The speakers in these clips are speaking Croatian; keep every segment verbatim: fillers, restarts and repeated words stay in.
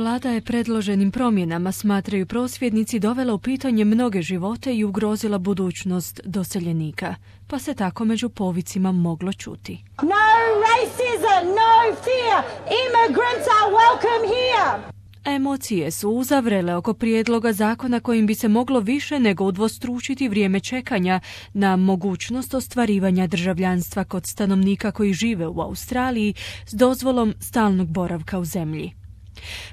Vlada je predloženim promjenama, smatraju prosvjednici, dovela u pitanje mnoge živote i ugrozila budućnost doseljenika, pa se tako među povicima moglo čuti. No racism, no fear. Immigrants are welcome here. Emocije su uzavrele oko prijedloga zakona kojim bi se moglo više nego udvostručiti vrijeme čekanja na mogućnost ostvarivanja državljanstva kod stanovnika koji žive u Australiji s dozvolom stalnog boravka u zemlji.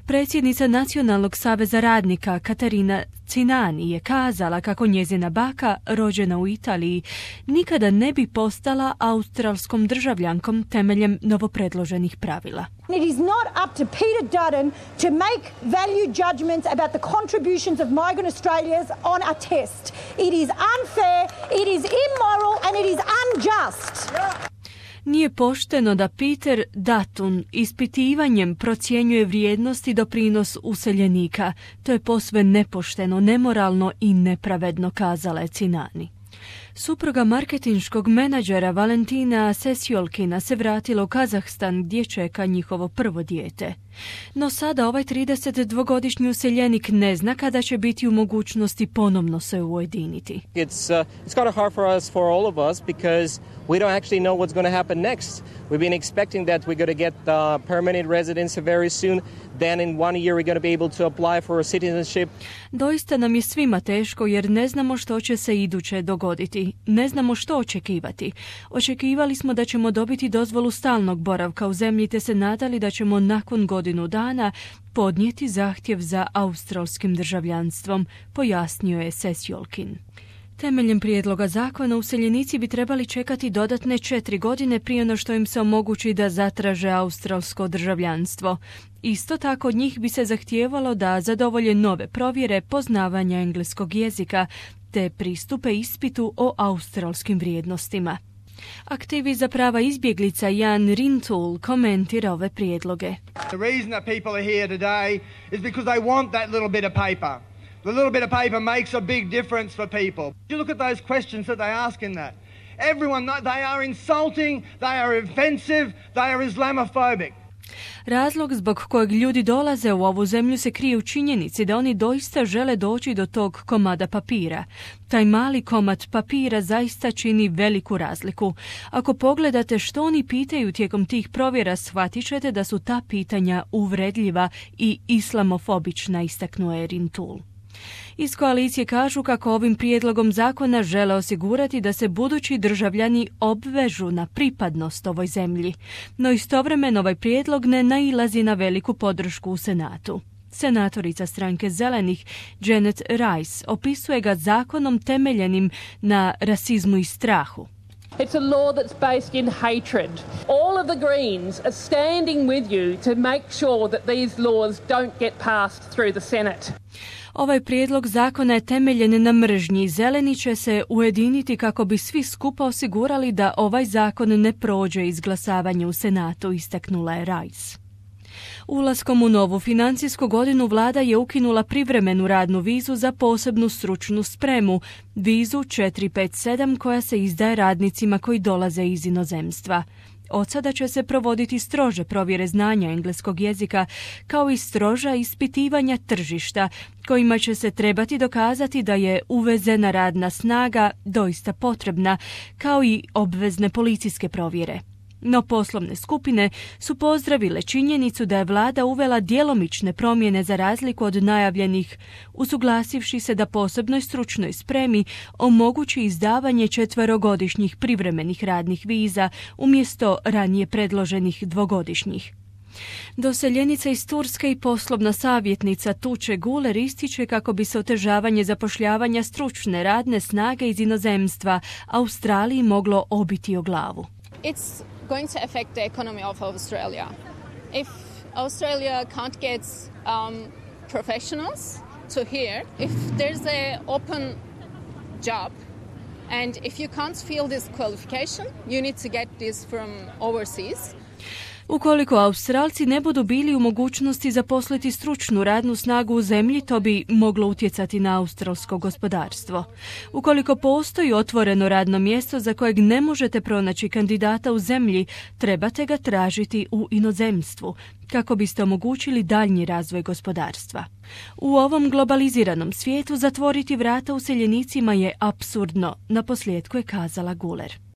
Predsjednica Nacionalnog saveza radnika Katarina Cinani je kazala kako njezina baka, rođena u Italiji, nikada ne bi postala australskom državljankom temeljem novopredloženih pravila. It is not up to Peter Dutton to make value judgments about the contributions of migrant Australians on a test. It is unfair, it is immoral and it is unjust. Nije pošteno da Peter Dutton ispitivanjem procjenjuje vrijednost i doprinos useljenika. To je posve nepošteno, nemoralno i nepravedno, kazala je Cinani. Supruga marketinškog menadžera Valentina Sesjolkina se vratila u Kazahstan gdje čeka njihovo prvo dijete. No sada ovaj tridesetdvogodišnji useljenik ne zna kada će biti u mogućnosti ponovno se ujediniti. It's uh, it's kind of hard for us, for all of us, because we don't actually know what's going to happen next. We've been expecting that we're going to get uh, permanent residence very soon. Then in one year we're going to be able to apply for a citizenship. Doista nam je svima teško jer ne znamo što će se iduće dogoditi. Ne znamo što očekivati. Očekivali smo da ćemo dobiti dozvolu stalnog boravka u zemlji te se nadali da ćemo nakon godinu dana podnijeti zahtjev za australskim državljanstvom, pojasnio je Sesjolkin. Temeljem prijedloga zakona useljenici bi trebali čekati dodatne četiri godine prije no što im se omogući da zatraže australsko državljanstvo. Isto tako od njih bi se zahtijevalo da zadovolje nove provjere poznavanja engleskog jezika te pristupe ispitu o australskim vrijednostima. Aktivist za prava izbjeglica Jan Rintoul komentira ove prijedloge. The reason that people are here today is because they want that little bit of paper. The little bit of paper makes a big difference for people. You look at those questions that they ask in that. Everyone, they are insulting, they are offensive, they are Islamophobic. Razlog zbog kojeg ljudi dolaze u ovu zemlju se krije u činjenici da oni doista žele doći do tog komada papira. Taj mali komad papira zaista čini veliku razliku. Ako pogledate što oni pitaju tijekom tih provjera, shvatit ćete da su ta pitanja uvredljiva i islamofobična, istaknuo je Rintoul. Iz koalicije kažu kako ovim prijedlogom zakona žele osigurati da se budući državljani obvežu na pripadnost ovoj zemlji, no istovremeno ovaj prijedlog ne nailazi na veliku podršku u Senatu. Senatorica stranke Zelenih Janet Rice opisuje ga zakonom temeljenim na rasizmu i strahu. It's a law that's based in hatred. All of the Greens are standing with you to make sure that these laws don't get passed through the Senate. Ovaj prijedlog zakona je temeljen na mržnji. Zeleni će se ujediniti kako bi svi skupa osigurali da ovaj zakon ne prođe izglasavanje u Senatu, istaknula je Rice. Ulaskom u novu financijsku godinu vlada je ukinula privremenu radnu vizu za posebnu stručnu spremu, vizu četiri pet sedam koja se izdaje radnicima koji dolaze iz inozemstva. Od sada će se provoditi strože provjere znanja engleskog jezika, kao i stroža ispitivanja tržišta, kojima će se trebati dokazati da je uvezena radna snaga doista potrebna, kao i obvezne policijske provjere. No poslovne skupine su pozdravile činjenicu da je vlada uvela djelomične promjene za razliku od najavljenih, usuglasivši se da posebnoj stručnoj spremi omogući izdavanje četverogodišnjih privremenih radnih viza umjesto ranije predloženih dvogodišnjih. Doseljenica iz Turske i poslovna savjetnica Tuče Guler ističe kako bi se otežavanje zapošljavanja stručne radne snage iz inozemstva Australiji moglo obiti o glavu. It's going to affect the economy of Australia. If Australia can't get um, professionals to here, if there's a open job and if you can't fill this qualification, you need to get this from overseas. Ukoliko Australci ne budu bili u mogućnosti zaposliti stručnu radnu snagu u zemlji, to bi moglo utjecati na australsko gospodarstvo. Ukoliko postoji otvoreno radno mjesto za kojeg ne možete pronaći kandidata u zemlji, trebate ga tražiti u inozemstvu, kako biste omogućili daljnji razvoj gospodarstva. U ovom globaliziranom svijetu zatvoriti vrata useljenicima je apsurdno, naposljetku je kazala Guler.